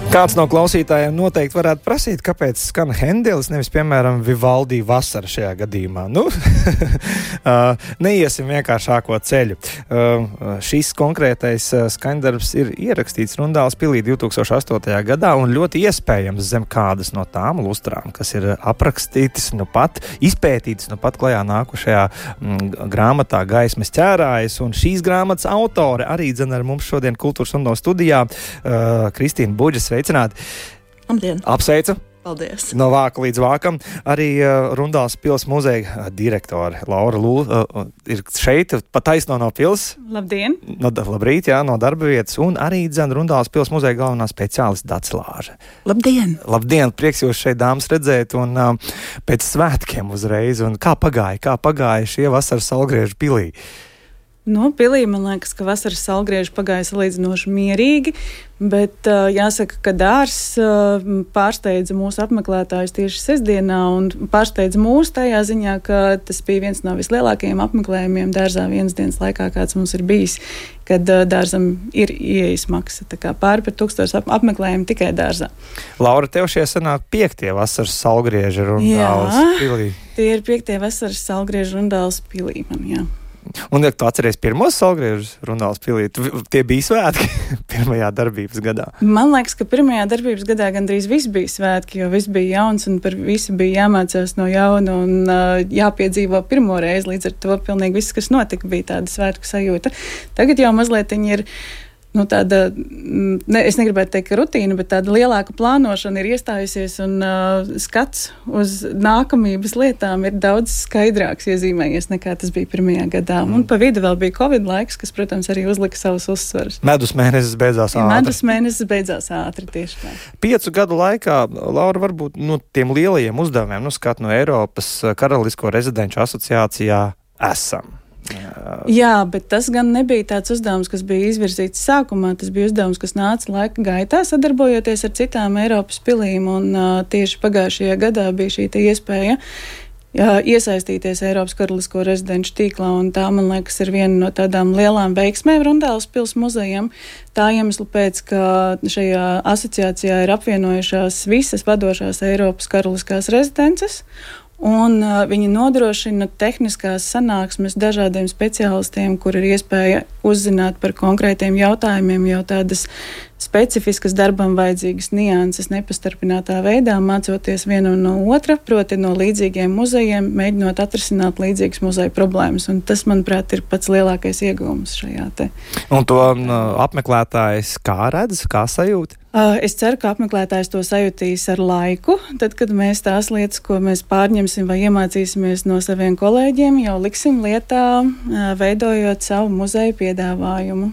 Kāds no klausītājiem noteikti varētu prasīt, kāpēc skan Hendelis, nevis, piemēram, Vivaldi vasara šajā gadījumā. Neiesim vienkāršāko ceļu. Šis konkrētais skaņdarbs ir ierakstīts Rundāles pilī 2008. gadā un ļoti iespējams zem kādas no tām lustrām, kas ir aprakstītas, izpētītas klajā nākušajā grāmatā Gaismas ķērājas. Un šīs grāmatas autore arī ar mums šodien Kultūras Rundāles studijā Kristīna Buģa. Sveicināti! Labdien! Apsveicu! Paldies! No vāka līdz vākam. Arī Rundāles pils muzeja direktore Laura Lūla ir šeit, pa taisno no pils. Labdien! Labrīt, jā, no darba vietas. Un arī Rundāles pils muzeja galvenā speciālista Dats Lāže. Labdien! Labdien! Prieks jūs šeit, dāmas, redzēt un pēc svētkiem uzreiz. Un kā pagāja šie vasaras Saulgriežu pilī? Pilī, man liekas, ka vasaras Saulgrieži pagāja salīdzinoši mierīgi, bet jāsaka, ka dārzs pārsteidza mūsu apmeklētājus tieši sestdienā un pārsteidza mūs tajā ziņā, ka tas bija viens no vislielākajiem apmeklējumiem dārzā vienas dienas laikā, kāds mums ir bijis, kad dārzam ir ieejas maksa. Tā kā pāri par 1000 apmeklējumu tikai dārzā. Laura, tev šie sanāk 5. vasaras Saulgrieži Rundāles pilī. Tie ir 5. vasaras Saulgrieži Rundāles pilī man, jā. Un, ja tu atceries pirmos Saulgriežus Rundāles pilī, tie bija svētki pirmajā darbības gadā? Man liekas, ka pirmajā darbības gadā gandrīz viss bija svētki, jo viss bija jauns un par visu bija jāmācās no jauna un jāpiedzīvo pirmo reizi. Līdz ar to pilnīgi viss, kas notika, bija tāda svētku sajūta. Tagad jau mazliet ir tāda, es negribētu teikt, ka rutīna, bet tāda lielāka plānošana ir iestājusies un skats uz nākamības lietām ir daudz skaidrāks iezīmējies nekā tas bija pirmajā gadā. Un pa vidu vēl bija Covid laiks, kas, protams, arī uzlika savus uzsvarus. Medus mēnesis beidzās ātri. Medus mēnesis beidzās ātri, tieši tā. 5 gadu laikā, Laura, varbūt tiem lielajiem uzdevumiem, skat no Eiropas Karalisko rezidenču asociācijā esam. Jā, bet tas gan nebija tāds uzdevums, kas bija izvirzīts sākumā. Tas bija uzdevums, kas nāca laika gaitā, sadarbojoties ar citām Eiropas pilīm. Un tieši pagājušajā gadā bija šī iespēja iesaistīties Eiropas Karalisko rezidenču tīklā. Un tā, man liekas, ir viena no tādām lielām veiksmēm Rundāles pils muzejam. Tā iemesla pēc, ka šajā asociācijā ir apvienojušās visas vadošās Eiropas Karaliskās rezidences. Un viņi nodrošina tehniskās sanāksmes dažādiem speciālistiem, kur ir iespēja uzzināt par konkrētiem jautājumiem, jau tādas specifiskas darbam vajadzīgas nianses nepastarpinātā veidā, mācoties vienam no otra, proti no līdzīgiem muzejiem, mēģinot atrisināt līdzīgas muzeja problēmas. Un tas, manuprāt, ir pats lielākais ieguvums šajā te. Un to apmeklētājs kā redz, kā sajūt? Es ceru, ka apmeklētājs to sajūtīs ar laiku, tad, kad mēs tās lietas, ko mēs pārņemsim vai iemācīsimies no saviem kolēģiem, jau liksim lietā, veidojot savu muzeju piedāvājumu.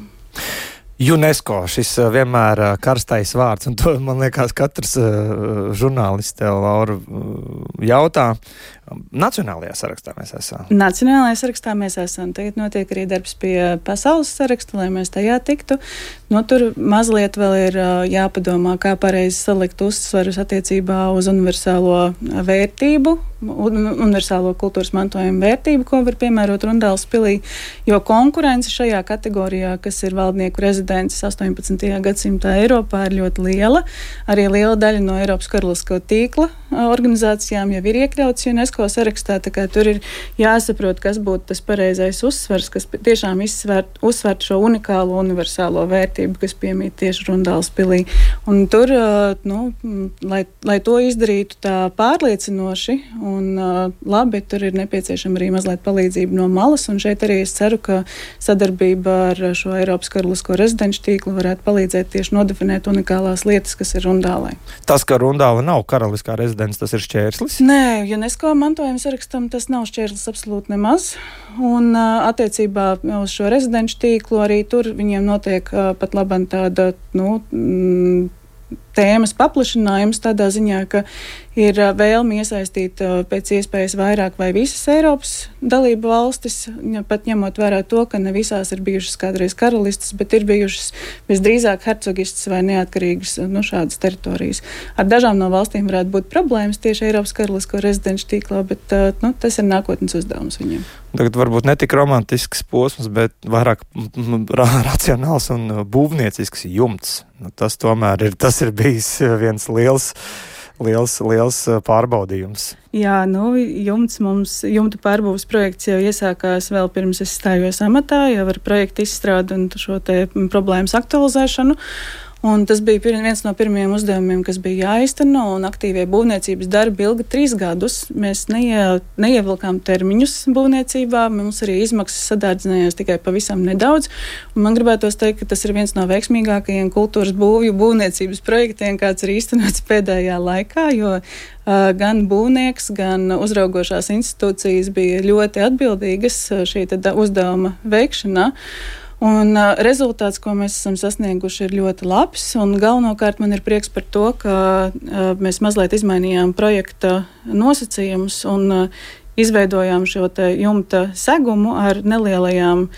UNESCO, šis vienmēr karstais vārds, un to, man liekas, katrs žurnālists tev, Laura, jautā. Nacionālajā sarakstā mēs esam. Nacionālajā sarakstā mēs esam. Tagad notiek arī darbs pie pasaules saraksta, lai mēs tajā tiktu. Tur mazliet vēl ir jāpadomā, kā pareizi salikt uzsvarus attiecībā uz universālo vērtību, universālo kultūras mantojumu vērtību, ko var piemērot Rundāles pilī, jo konkurence šajā kategorijā, kas ir valdnieku rezidences 18. gadsimtā Eiropā, ir ļoti liela. Arī liela daļa no Eiropas Karalisko tīkla organizācijām jau ir iekļauts UNESCO sarakstā, tā kā tur ir jāsaprot, kas būtu tas pareizais uzsvars, kas tiešām uzsvērt šo unikālo universālo vērtību, kas piemīt tieši Rundāles pilī. Un tur, lai to izdarītu tā pārliecinoši un labi, tur ir nepieciešama arī mazliet palīdzība no malas, un šeit arī es ceru, ka sadarbība ar šo Eiropas Karalisko rezidenču tīklu varētu palīdzēt tieši nodefinēt unikālās lietas, kas ir Rundālē. Tas, ka Rundāle nav karaliskā rezidence, tas ir šķērslis? Nē, UNESCO mantojuma sarakstam tas nav šķērslis absolūti nemaz. Un attiecībā uz šo rezidenču tīklu arī tur viņiem notiek pat labam tāda, tēmas paplašinājums tādā ziņā, ka ir vēlme iesaistīt pēc iespējas vairāk vai visas Eiropas dalību valstis, pat ņemot vērā to, ka ne visās ir bijušas kādreiz karalistes, bet ir bijušas visdrīzāk hercogistas vai neatkarīgas šādas teritorijas. Ar dažām no valstīm varētu būt problēmas tieši Eiropas karalisko rezidenču tīklā, bet tas ir nākotnes uzdevums viņiem. Tagad varbūt ne tik romantisks posms, bet vairāk racionāls un būvniecisks jumts. Tas tomēr ir bijis viens liels pārbaudījums. Jā, jumta pārbūves projekts jau iesākās vēl pirms es stājos amatā, jau ar projektu izstrādi un šo te problēmas aktualizēšanu. Un tas bija viens no pirmajiem uzdevumiem, kas bija jāizteno, un aktīvie būvniecības darbi ilga 3 gadus. Mēs neievilkām termiņus būvniecībā, mums arī izmaksas sadārdzinājās tikai pavisam nedaudz. Un man gribētos teikt, ka tas ir viens no veiksmīgākajiem kultūras būvniecības projektiem, kāds ir īstenots pēdējā laikā, jo gan būvnieks, gan uzraugošās institūcijas bija ļoti atbildīgas šī uzdevuma veikšanā. Un rezultāts, ko mēs esam sasnieguši, ir ļoti labs, un galvenokārt man ir prieks par to, ka mēs mazliet izmainījām projekta nosacījumus un izveidojām šo te jumta segumu ar nelielajām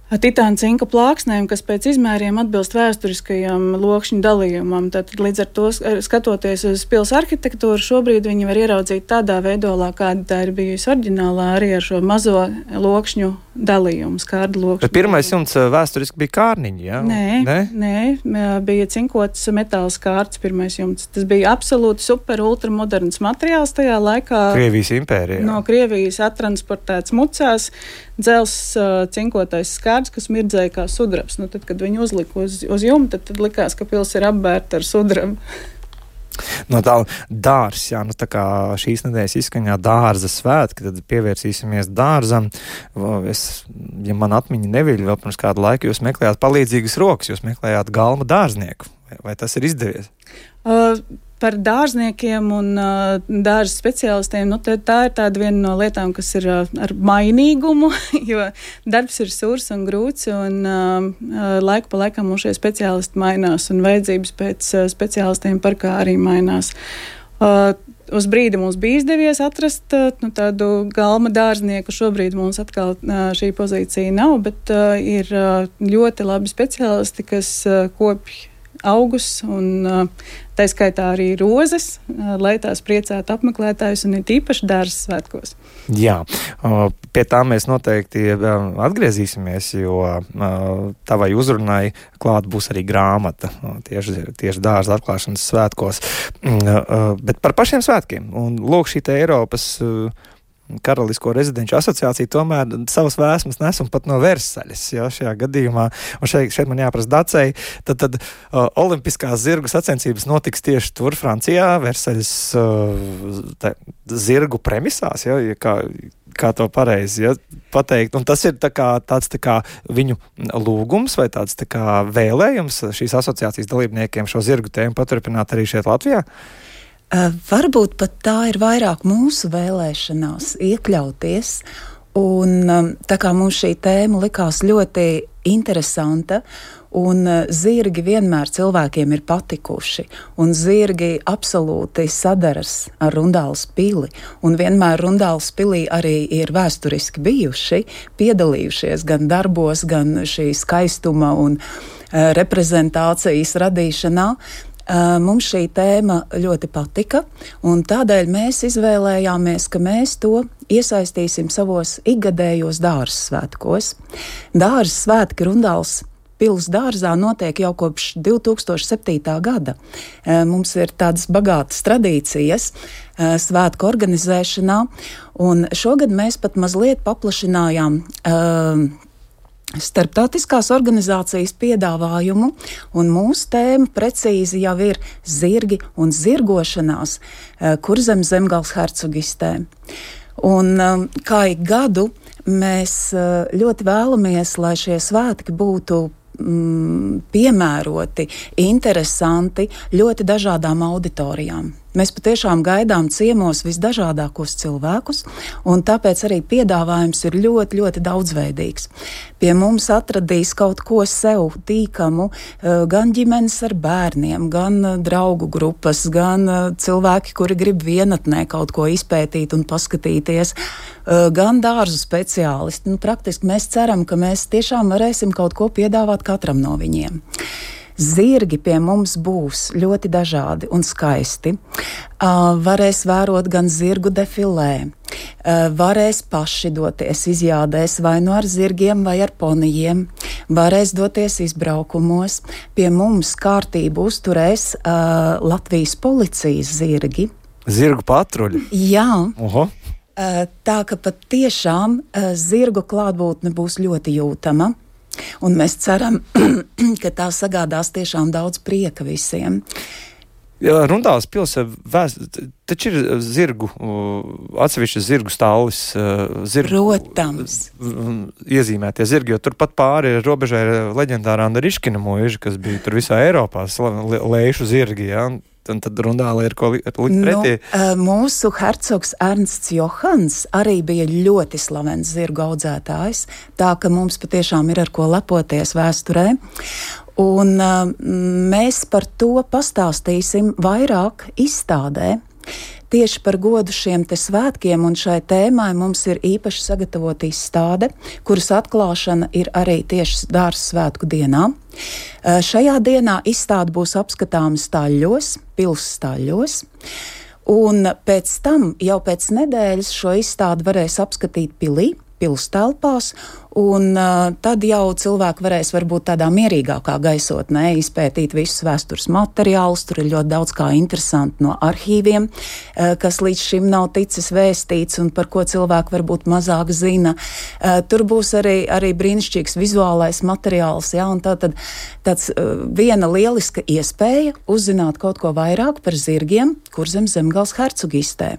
titāna cinka plāksnēm, kas pēc izmēriem atbilst vēsturiskajam lokšņu dalījumam. Tātad līdz ar to, skatoties uz pils arhitektūru, šobrīd viņi var ieraudzīt tādā veidolā, kāda tā ir bijusi oriģinālā, arī ar šo mazo lokšņu dalījumu, skārdu lokšņu. Bet pirmais jumts vēsturiski bija kārniņi, jā? Nē, bija cinkots metāla skārts pirmais jumts. Tas bija absolūti super ultramoderns materiāls tajā laikā. Krievijas impērijā. No Krievijas attransportēts mucās, dzels cinkotais skārds, kas mirdzēja kā sudrabs. Tad, kad viņi uzlika uz jumta, tad likās, ka pils ir apbērta ar sudrabu. No tā dārs, jā, tā kā šīs nedēļas izskaņā dārza svētki, tad pievērsīsimies dārzam. Ja man atmiņa neviļ, vēl pirms kādu laiku jūs meklējāt palīdzīgas rokas, jūs meklējāt galma dārznieku. Vai tas ir izdevies? Par dārzniekiem un dārza speciālistiem, tā ir tāda viena no lietām, kas ir ar mainīgumu, jo darbs ir sūrs un grūts, un laiku pa laikam mums šie speciālisti mainās, un vajadzības pēc speciālistiem parkā arī mainās. Uz brīdi mums bija izdevies atrast tādu galma dārznieku. Šobrīd mums atkal šī pozīcija nav, bet ir ļoti labi speciālisti, kas kopj augus un tā skaitā arī rozes, lai tās priecētu apmeklētājus un ir īpaši dārzas svētkos. Jā, pie tā mēs noteikti atgriezīsimies, jo tavai uzrunai klāt būs arī grāmata tieši dārza atklāšanas svētkos. Bet par pašiem svētkiem. Un lūk, šī te Eiropas Karalisko rezidenču asociācija tomēr savas vēsmas nes un pat no Versaļas, šajā gadījumā. Un šeit man jāprasa Dacei, tad olimpiskās zirgu sacensības notiks tieši tur, Francijā, Versaļas zirgu premisās, kā to pareizi pateikt. Un tas ir tāds viņu lūgums vai tāds vēlējums šīs asociācijas dalībniekiem šo zirgu tēmu paturpināt arī šeit Latvijā? Varbūt pat tā ir vairāk mūsu vēlēšanās iekļauties, un tā kā mums šī tēma likās ļoti interesanta, un zirgi vienmēr cilvēkiem ir patikuši, un zirgi absolūti sadaras ar Rundāles pili, un vienmēr Rundāles pilī arī ir vēsturiski bijuši, piedalījušies gan darbos, gan šī skaistuma un reprezentācijas radīšanā. Mums šī tēma ļoti patika, un tādēļ mēs izvēlējāmies, ka mēs to iesaistīsim savos ikgadējos dārza svētkos. Dārza svētki Rundāles pils dārzā notiek jau kopš 2007. gada. Mums ir tādas bagātas tradīcijas svētku organizēšanā, un šogad mēs pat mazliet paplašinājām starptautiskās organizācijas piedāvājumu, un mūsu tēma precīzi jau ir zirgi un zirgošanās Kurzemes zemgales hercogistē. Un kā ik gadu mēs ļoti vēlamies, lai šie svētki būtu piemēroti, interesanti ļoti dažādām auditorijām. Mēs patiešām gaidām ciemos visdažādākos cilvēkus, un tāpēc arī piedāvājums ir ļoti, ļoti daudzveidīgs. Pie mums atradīs kaut ko sev tīkamu, gan ģimenes ar bērniem, gan draugu grupas, gan cilvēki, kuri grib vienatnē kaut ko izpētīt un paskatīties, gan dārzu speciālisti. Praktiski mēs ceram, ka mēs tiešām varēsim kaut ko piedāvāt katram no viņiem. Zirgi pie mums būs ļoti dažādi un skaisti. Varēs vērot gan zirgu defilē, varēs paši doties izjādēs vai nu ar zirgiem vai ar ponijiem, varēs doties izbraukumos. Pie mums kārtību uzturēs Latvijas policijas zirgi. Zirgu patruļi? Jā. Oho. Tā ka pat tiešām zirgu klātbūtne būs ļoti jūtama. Un mēs ceram, ka tā sagādās tiešām daudz prieka visiem. Jā, Rundāles pils taču ir zirgu, atsevišķi zirgu stālis. Protams. Iezīmētie zirgi, jo turpat pāri robežai ir leģendārā Riškina mūža, kas bija tur visā Eiropā, lēšu zirgi, jā. Un tad Rundāle ir ko likt pretī. Mūsu hercogs Ernsts Johans arī bija ļoti slavens zirgu audzētājs, tā ka mums patiešām ir ar ko lepoties vēsturē. Un mēs par to pastāstīsim vairāk izstādē. Tieši par godu šiem te svētkiem un šai tēmai mums ir īpaši sagatavota izstāde, kuras atklāšana ir arī tieši dārza svētku dienā. Šajā dienā izstāde būs apskatāma Staļļos, pils Staļļos, un pēc tam jau pēc nedēļas šo izstādi varēs apskatīt pilī, pils telpās, un tad jau cilvēki varēs varbūt tādā mierīgākā gaisotnē izpētīt visus vēstures materiālus. Tur ir ļoti daudz kā interesanti no arhīviem, kas līdz šim nav ticis vēstīts un par ko cilvēki varbūt mazāk zina. Tur būs arī brīnišķīgs vizuālais materiāls, ja, un tāds viena lieliska iespēja uzzināt kaut ko vairāk par zirgiem Kurzem Zemgales hercogistē.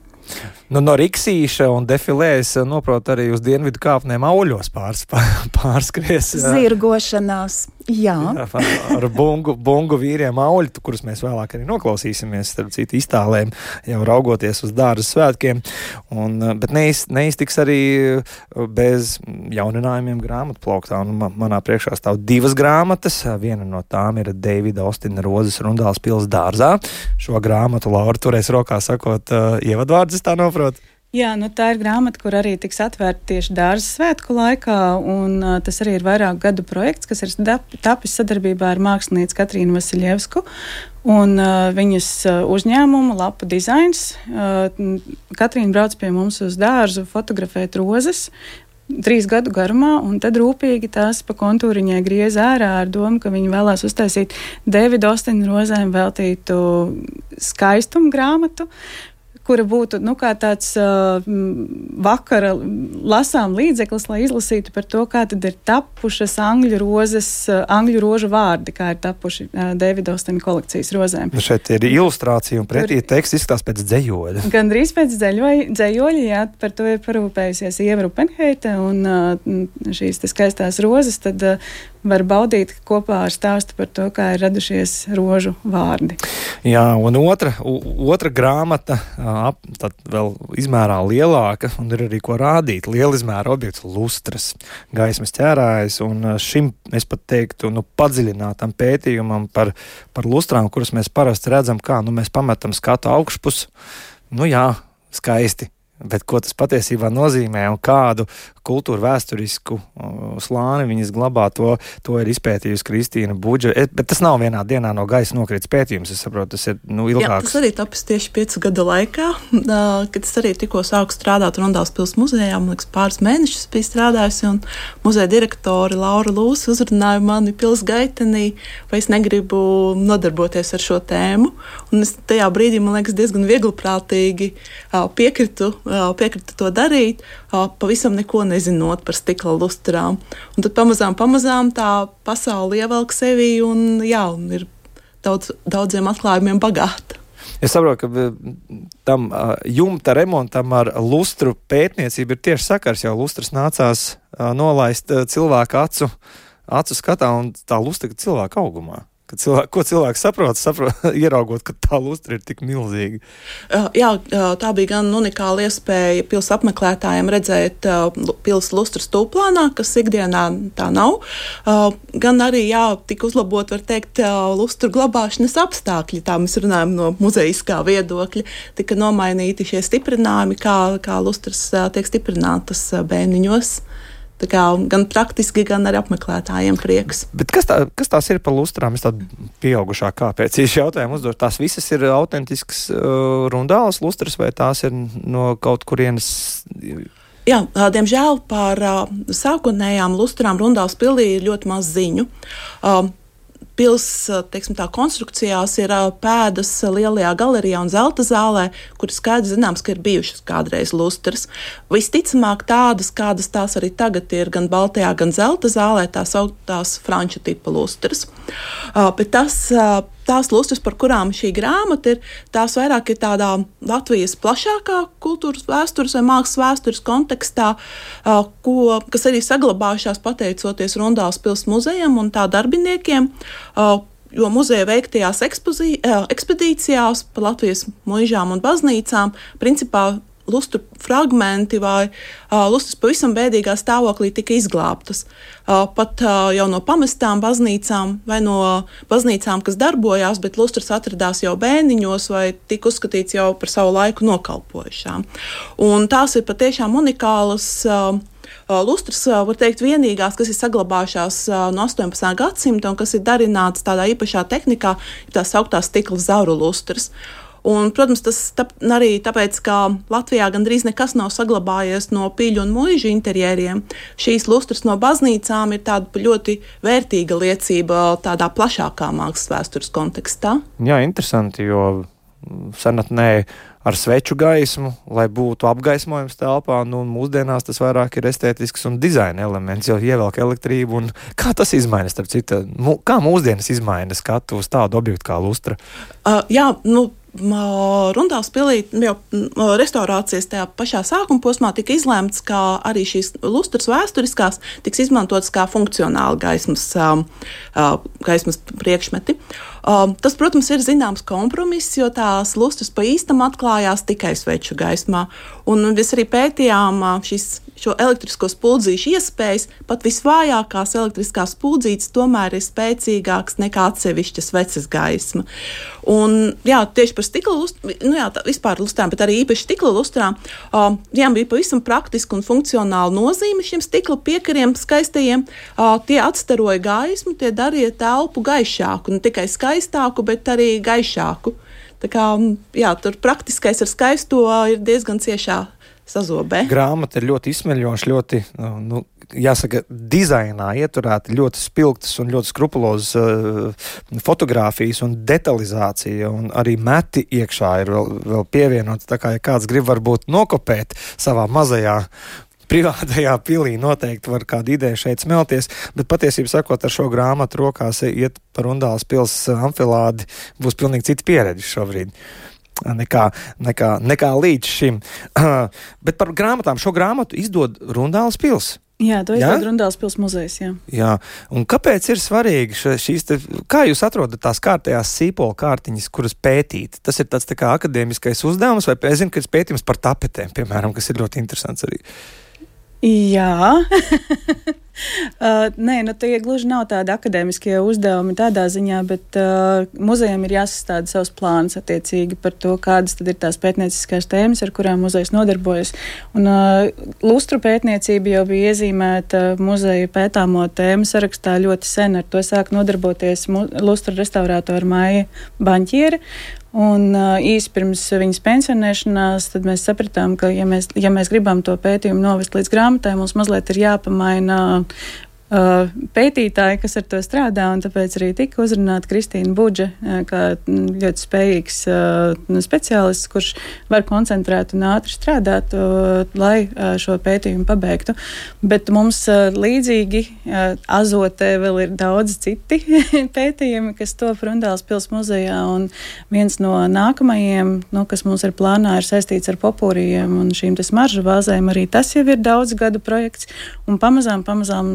Nu, no Riksīša un defilēs noprot arī uz dienvidu kāpnēm auļos pārskries. Zirgošanās, jā. Ar bungu vīriem auļi, kurus mēs vēlāk arī noklausīsimies, starp citu iztālēm, jau raugoties uz dārza svētkiem. Bet neiztiks arī bez jauninājumiem grāmatu plauktā. Un manā priekšā stāv 2 grāmatas. Viena no tām ir Deivida Ostina Rozes Rundāles pils dārzā. Šo grāmatu Laura turēs rokā sakot ievadvārdus, tā noprot. Jā, tā ir grāmata, kur arī tiks atvērta tieši dārza svētku laikā, un tas arī ir vairāku gadu projekts, kas ir tapis sadarbībā ar mākslinieci Katrīnu Vasiljevsku un viņas uzņēmumu Lapu dizains. Katrīna brauc pie mums uz dārzu fotografēt rozes 3 gadu garumā, un tad rūpīgi tās pa kontūriņai griez ārā ar domu, ka viņi vēlās uztaisīt Deivida Ostina rozēm veltītu skaistumu grāmatu, kura būtu kā tāds vakara lasām līdzeklis, lai izlasītu par to, kā tad ir tapušas angļu rožu vārdi, kā ir tapuši Deivida Ostina kolekcijas rozēm. Šeit ir ilustrācija un pretī teksts izskatās pēc dzejoļa. Gandrīz pēc dzejoļa, jā, par to ir parūpējusies Ieva Rupenheite, un šīs te skaistās rozes tad var baudīt kopā ar stāstu par to, kā ir radušies rožu vārdi. Jā, un otra grāmata, tad vēl izmērā lielāka, un ir arī ko rādīt. Liela izmēra objekts lustras, gaismas ķērājas, un šim, es pat teiktu, padziļinātam pētījumam par lustrām, kuras mēs parasti redzam, kā, mēs pametam skatu augšpus, jā, skaisti. Bet ko tas patiesībā nozīmē un kādu kultūru vēsturisku slāni viņas glabā, to ir izpētījusi Kristīna Budža. Bet tas nav vienā dienā no gaisa nokrits pētījums, es saprotu, tas ir ilgāks. Jā, tas arī tapis tieši 5 gadu laikā, kad es arī tikko sāku strādāt Rundāles pils muzejā, man liekas, pāris mēnešus biju strādājusi, un muzeja direktori Laura Lūsa uzrunāja mani pils gaitenī, vai es negribu nodarboties ar šo tēmu, un es tajā brīdī, man liekas, diezgan viegliprātīgi piekritu to darīt, pavisam neko nezinot par stikla lustrām. Un tad pamazām tā pasaule ievelk sevi un ir daudziem atklājumiem bagāta. Es saprotu, ka tam jumta remontam ar lustru pētniecību ir tieši sakars, jau lustras nācās nolaist cilvēku acu skatā un tā lustra cilvēku augumā. Ko cilvēks saprot, ieraugot, ka tā lustra ir tik milzīga? Jā, tā bija gan unikāla iespēja pils apmeklētājiem redzēt pils lustras tūplānā, kas ikdienā tā nav. Gan arī, tika uzlabot, var teikt, lustru glabāšanas apstākļi. Tā mēs runājam no muzejiskā viedokļa. Tika nomainīti šie stiprinājumi, kā lustras tiek stiprinātas bēniņos. Tā kā gan praktiski, gan arī apmeklētājiem prieks. Bet kas tās ir par lustrām? Es tādu pieaugušā kāpēc jautājumu uzdot. Tās visas ir autentiskas rundālas lustras vai tās ir no kaut kurienes? Jā, diemžēl par sākotnējām lustrām Rundāls pilī ir ļoti maz ziņu. Pils, teiksim tā, konstrukcijās ir pēdas lielajā galerijā un zelta zālē, kur skaidrs zināms, ka ir bijušas kādreiz lustras. Visticamāk tādas, kādas tās arī tagad ir gan baltajā, gan zelta zālē, tās franču tipa lustras. Bet tās lustras, par kurām šī grāmata ir, tās vairāk ir tādā Latvijas plašākā kultūras vēstures vai mākslas vēstures kontekstā, kas arī saglabājušās pateicoties Rundāls pils muzejam un tā darbiniekiem, jo muzeja veiktajās ekspedīcijās pa Latvijas muižām un baznīcām principā lustru fragmenti vai lustras pavisam bēdīgā stāvoklī tika izglābtas. Pat jau no pamestām baznīcām vai no baznīcām, kas darbojās, bet lustras atradās jau bēniņos vai tika uzskatīts jau par savu laiku nokalpojušām. Un tās ir patiešām unikālas lustras, var teikt, vienīgās, kas ir saglabājušās no 18. gadsimta un kas ir darināts tādā īpašā tehnikā, tā sauktās stikla zauru lustras. Un, protams, tas arī tāpēc, ka Latvijā gandrīz nekas nav saglabājies no pīļu un muižu interjeriem. Šīs lustras no baznīcām ir tāda ļoti vērtīga liecība tādā plašākā mākslas vēstures kontekstā. Jā, interesanti, jo senatnē ar sveču gaismu, lai būtu apgaismojums telpā, mūsdienās tas vairāk ir estētisks un dizaina elements, jau ievelk elektrību. Un kā tas izmainas, starp citu? Kā mūsdienas izmaina skatu uz tādu objektu kā lustra? Rundāls pilī jau restaurācijas tajā pašā sākuma posmā tika izlēmts, ka arī šīs lustras vēsturiskās tiks izmantotas kā funkcionāli gaismas priekšmeti. Tas, protams, ir zināms kompromiss, jo tās lustras pa īstam atklājās tikai sveču gaismā. Un mēs arī pētījām šo elektrisko spuldzīšu iespējas, pat visvājākās elektriskās spuldzītes tomēr ir spēcīgāks nekā atsevišķa sveces gaisma. Un, tieši par stikla lustrām, vispār lustrām, bet arī īpaši stikla lustrām, bija pavisam praktiska un funkcionāla nozīme šiem stikla piekariem skaistajiem. Tie atstaroja gaismu, tie darīja telpu gaišāku, ne tikai skaistāku, bet arī gaišāku. Tā kā, tur praktiskais ar skaisto ir diezgan ciešā sazobē. Grāmata ir ļoti izsmeļoša, ļoti, jāsaka, dizainā ieturēta, ļoti spilgtas un ļoti skrupulozas fotogrāfijas un detalizācija, un arī meti iekšā ir vēl pievienots, tā kā, ja kāds grib varbūt nokopēt savā mazajā privātajā pilī, noteikti var kādu ideju šeit smelties, bet patiesībā sakot, ar šo grāmatu rokās iet par Rundāls pils amfilādi būs pilnīgi cita pieredze šobrīd. Nekā līdz šim. Bet par grāmatām, šo grāmatu izdod Rundāls pils. Jā, to izdod Rundāls pils muzejs, jā. Jā, un kāpēc ir svarīgi kā jūs atrodat tās kārtējās sīpola kārtiņas, kuras pētīt? Tas ir tāds tā kā akadēmiskais uzdevums, vai es zinu, ka ir pētījums par tapetēm, piemēram, kas ir ļoti interesants arī. Jā. Nē, tie gluži nav tādi akadēmiskie uzdevumi tādā ziņā, bet muzejam ir jāsastāda savs plāns attiecīgi par to, kādas tad ir tās pētnieciskās tēmas, ar kurām muzejs nodarbojas. Un lustru pētniecība jau bija iezīmēta muzeja pētāmo tēmu sarakstā ļoti sen. Ar to sāk nodarboties lustru restaurātora Maija Baņķiere. Un īsi pirms viņas pensionēšanās, tad mēs sapratām, ka ja mēs gribam to pētījumu novest līdz grāmatai, mums mazliet ir jāpamaina pētītāji, kas ar to strādā, un tāpēc arī tika uzrunāta Kristīna Budža, kā ļoti spējīgs speciālists, kurš var koncentrēt un ātri strādāt, lai šo pētījumu pabeigtu. Bet mums līdzīgi Azotē vēl ir daudz citi pētījumi, kas top Rundāls pils muzejā, un viens no nākamajiem, kas mums ir plānā, ir saistīts ar popūrijiem un šīm smaržu vāzēm. Arī tas jau ir daudz gadu projekts, un pamazām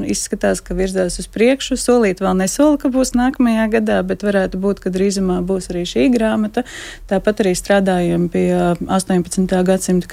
izskatās, izskatās, ka virzās uz priekšu. Solīt vēl nesola, ka būs nākamajā gadā, bet varētu būt, ka drīzumā būs arī šī grāmata. Tāpat arī strādājam pie 18. gadsimta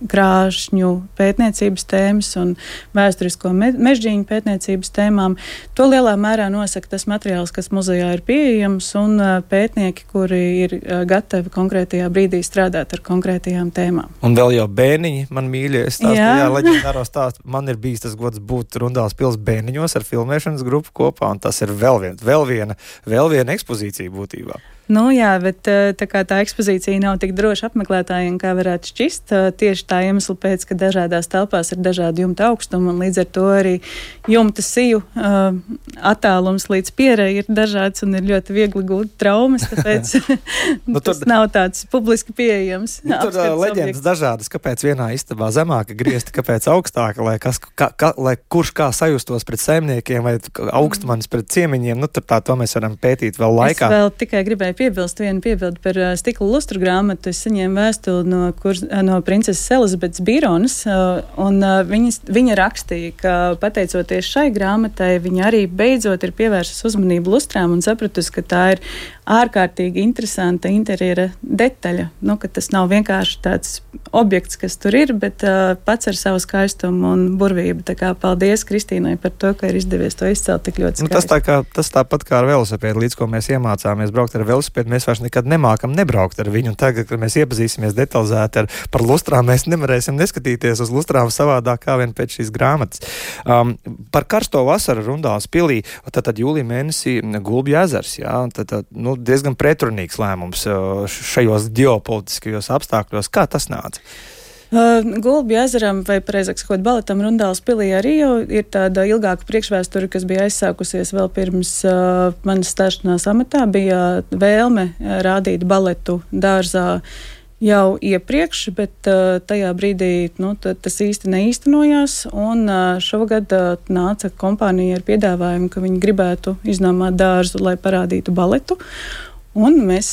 krāšņu pētniecības tēmas un vēsturisko mežģīņu pētniecības tēmām. To lielā mērā nosaka tas materiāls, kas muzejā ir pieejams, un pētnieki, kuri ir gatavi konkrētajā brīdī strādāt ar konkrētajām tēmām. Un vēl jau bērniņi, man mīļie, stāstīja, leģendāro stāstu. Man ir bijis tas gods būt Rundāles pils bērniņos ar filmēšanas grupu kopā, un tas ir vēl viena ekspozīcija būtībā. Nu jā, bet tā kā tā ekspozīcija nav tik droša apmeklētājiem, kā varētu šķist, tieši tā iemesla pēc, ka dažādās telpās ir dažādi jumta augstumi, un līdz ar to arī jumta siju attālums līdz pierei ir dažāds un ir ļoti viegli gūt traumas, tāpēc tas nav tāds publiski pieejams. Tur leģendas dažādas, kāpēc vienā istabā zemāka griezti, kāpēc augstāka, lai kurš kā sajustos pret saimniekiem vai augstmanis pret ciemiņiem, tur to mēs varam pētīt vēl laikā. Es vēl tikai gribēju piebilst vienu piebildu par stikla lustru grāmatu. Es saņēmu vēstuli no princeses Elizabetes Bironas, un viņa rakstīja, ka pateicoties šai grāmatai, viņa arī beidzot ir pievērsus uzmanību lustrām un sapratusi, ka tā ir ārkārtīgi interesanta interjera detaļa. Ka tas nav vienkārši tāds objekts, kas tur ir, bet pats ar savu skaistumu un burvību. Tā kā paldies Kristīnai par to, ka ir izdevies to izcelt tik ļoti skaisti. Tas tāpat kā ar velosipēdu, līdz ko mēs iemācāmies braukt ar velosipēdu, mēs vairs nekad nemākam nebraukt ar viņu. Un tagad, kad mēs iepazīsimies detalizēti par lustrām, mēs nevarēsim neskatīties uz lustrām savādāk kā vien pēc šīs grāmatas. Par karsto vasaru Rundāles pilī, tad jūlija mēnesī Gulbju ezers, diezgan pretrunīgs lēmums šajos ģeopolitiskajos apstākļos. Kā tas nāca? Gulbju ezeram, vai pareizāk sakot, baletam Rundāles pilī arī jau ir tāda ilgāka priekšvēsture, kas bija aizsākusies vēl pirms manas stāšanās amatā. Bija vēlme rādīt baletu dārzā jau iepriekš, bet tajā brīdī tas īsti neīstenojās, un šogad nāca kompānija ar piedāvājumu, ka viņi gribētu iznomāt dārzu, lai parādītu baletu. Un mēs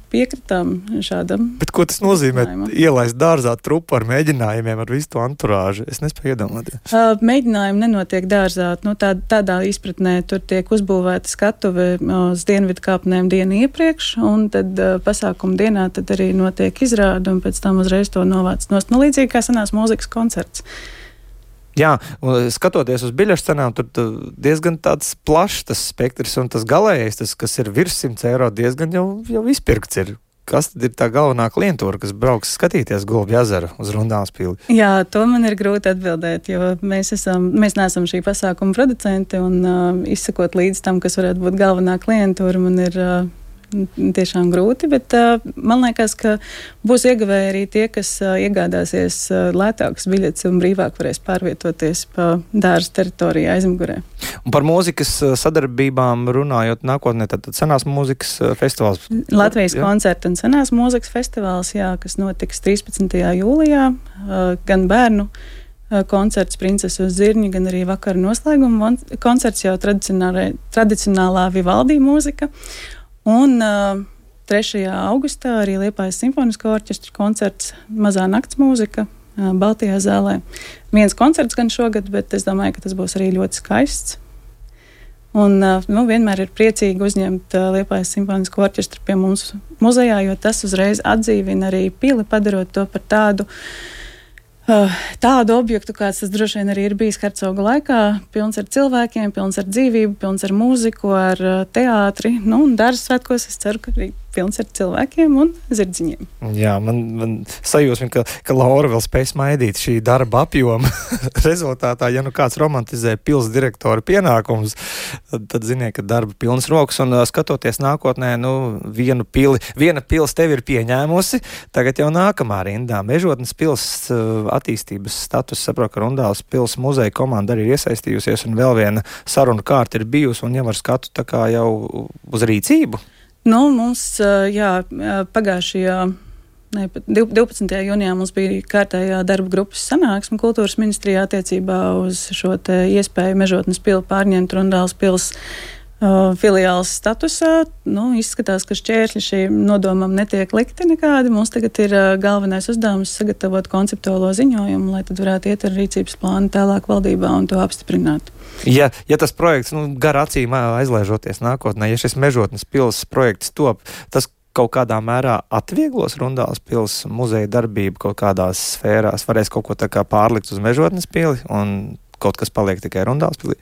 piekritām šādam. Bet ko tas nozīmē? Ielaist dārzā trupu ar mēģinājumiem, ar visu to anturāžu? Es nespēju iedomāties. Mēģinājumi nenotiek dārzā. Tādā izpratnē tur tiek uzbūvēta skatuve uz dienvidu kāpnēm dienu iepriekš, un tad pasākuma dienā tad arī notiek izrāde, un pēc tam uzreiz to novāc nost. Līdzīgi kā senās mūzikas koncerts. Jā, un skatoties uz biļešu cenām, tur diezgan tāds plašs tas spektrs, un tas galējais, kas ir virs 100 eiro, diezgan jau izpirkts ir. Kas tad ir tā galvenā klientūra, kas brauks skatīties Gulbju ezeru uz Rundāles pili? Jā, to man ir grūti atbildēt, jo mēs neesam šī pasākuma producenti, un izsakot līdz tam, kas varētu būt galvenā klientūra, man ir tiešām grūti, bet man liekas, ka būs ieguvēji arī tie, kas iegādāsies lētākas biļetes un brīvāk varēs pārvietoties pa dārza teritorijā aizmugurē. Un par mūzikas sadarbībām runājot nākotnē, tad senās mūzikas festivāls. Latvijas koncerta un senās mūzikas festivāls, kas notiks 13. jūlijā, gan bērnu koncerts Princese uz zirņa, gan arī vakara noslēguma koncerts, jau tradicionālā Vivaldi mūzika. Un 3. augustā arī Liepājas simfonisko orķestra koncerts Mazā nakts mūzika Baltijā zālē. Viens koncerts gan šogad, bet es domāju, ka tas būs arī ļoti skaists. Un vienmēr ir priecīgi uzņemt Liepājas simfonisko orķestru pie mums muzejā, jo tas uzreiz atdzīvina arī pili, padarot to par tādu objektu, kāds tas droši vien arī ir bijis Hercoga laikā, pilns ar cilvēkiem, pilns ar dzīvību, pilns ar mūziku, ar teātri. Un dārza svētkos es ceru, ka arī pilns ar cilvēkiem un zirdziņiem. Jā, man sajūsmi, ka Laura vēl spēj smaidīt šī darba apjoma rezultātā. Ja kāds romantizē pils direktora pienākumus, tad ziniet, ka darba pilnas rokas, un skatoties nākotnē, viena pils tevi ir pieņēmusi, tagad jau nākamā rindā. Mežotnes pils attīstības status, saprotu, ka Rundāles pils muzeja komanda arī ir iesaistījusies, un vēl viena saruna kārta ir bijusi, un jau ar skatu tā kā jau uz rīcību. Mums, pagājušajā 12. jūnijā mums bija kārtējā darba grupas sanāksme kultūras ministrijā attiecībā uz šo te iespēju Mežotnes pili pārņemt Rundāles pils filiāls statusā. Izskatās, ka šķēršļi šīm nodomam netiek likti nekādi. Mums tagad ir galvenais uzdevums sagatavot konceptuālo ziņojumu, lai tad varētu iet ar rīcības plānu tālāk valdībā un to apstiprināt. Ja tas projekts, gar acīm aizlaižoties nākotnē, ja šis Mežotnes pils projekts top, tas kaut kādā mērā atvieglos Rundāles pils muzeja darbību kaut kādās sfērās, varēs kaut ko tā kā pārlikt uz Mežotnes pili un kaut kas paliek tikai Rundāles pilī?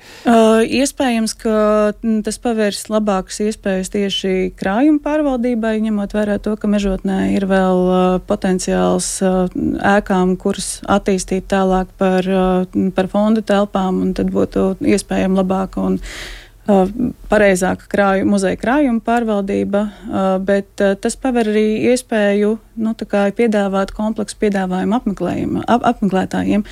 Iespējams, ka tas pavērs labākas iespējas tieši krājuma pārvaldībai, ņemot vērā to, ka Mežotnē ir vēl potenciāls ēkām, kuras attīstīt tālāk par fondu telpām, un tad būtu iespējama labāka un pareizāka muzeja krājuma pārvaldība, bet tas paver arī iespēju piedāvāt kompleksu piedāvājumu apmeklētājiem,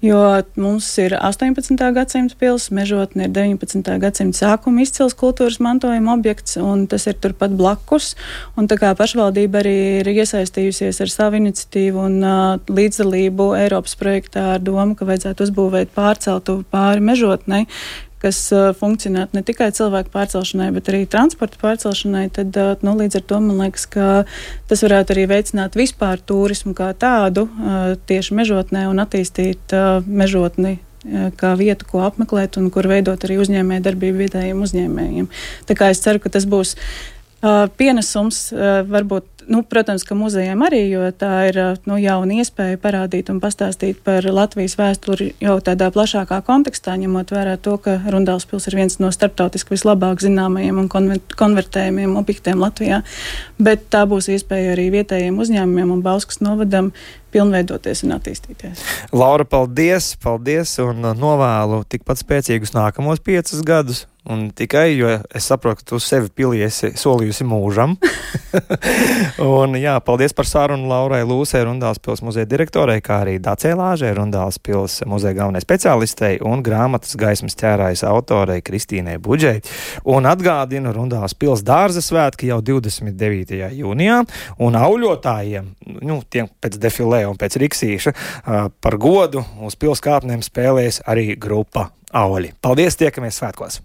jo mums ir 18. gadsimta pils, Mežotne ir 19. gadsimta sākuma izcils kultūras mantojuma objekts, un tas ir turpat blakus, un tā kā pašvaldība arī ir iesaistījusies ar savu iniciatīvu un līdzdalību Eiropas projektā ar domu, ka vajadzētu uzbūvēt pārceltuvi pāri Mežotnei, kas funkcionētu ne tikai cilvēku pārcelšanai, bet arī transporta pārcelšanai, tad līdz ar to man liekas, ka tas varētu arī veicināt vispār turismu kā tādu tieši Mežotnē un attīstīt Mežotni kā vietu, ko apmeklēt un kur veidot arī uzņēmēju darbību vietējiem uzņēmējiem. Tā kā es ceru, ka tas būs pienesums varbūt, protams, ka muzejiem arī, jo tā ir jauna iespēja parādīt un pastāstīt par Latvijas vēsturi jau tādā plašākā kontekstā, ņemot vērā to, ka Rundāles pils ir viens no starptautiski vislabāk zināmajiem un konvertējumiem objektiem Latvijā, bet tā būs iespēja arī vietējiem uzņēmumiem un Bauskas novadam pilnveidoties un attīstīties. Laura, paldies un novēlu tikpat spēcīgus nākamos 5 gadus. Un tikai, jo es saprotu, ka tu sevi pilī esi solījusi mūžam. Un jā, paldies par sarunu Laurai Lūsei, Rundāles pils muzeja direktorei, kā arī Dacei Lāžai, Rundāles pils muzeja galvenai speciālistei un grāmatas Gaismas ķērājas autorei Kristīnai Budžei. Un atgādinu, Rundāles pils dārza svētki jau 29. jūnijā, un auļotājiem, tiem pēc defilē un pēc riksīša, par godu uz pils kāpnēm spēlēs arī grupa Auļi. Paldies, tiekamies svētkos!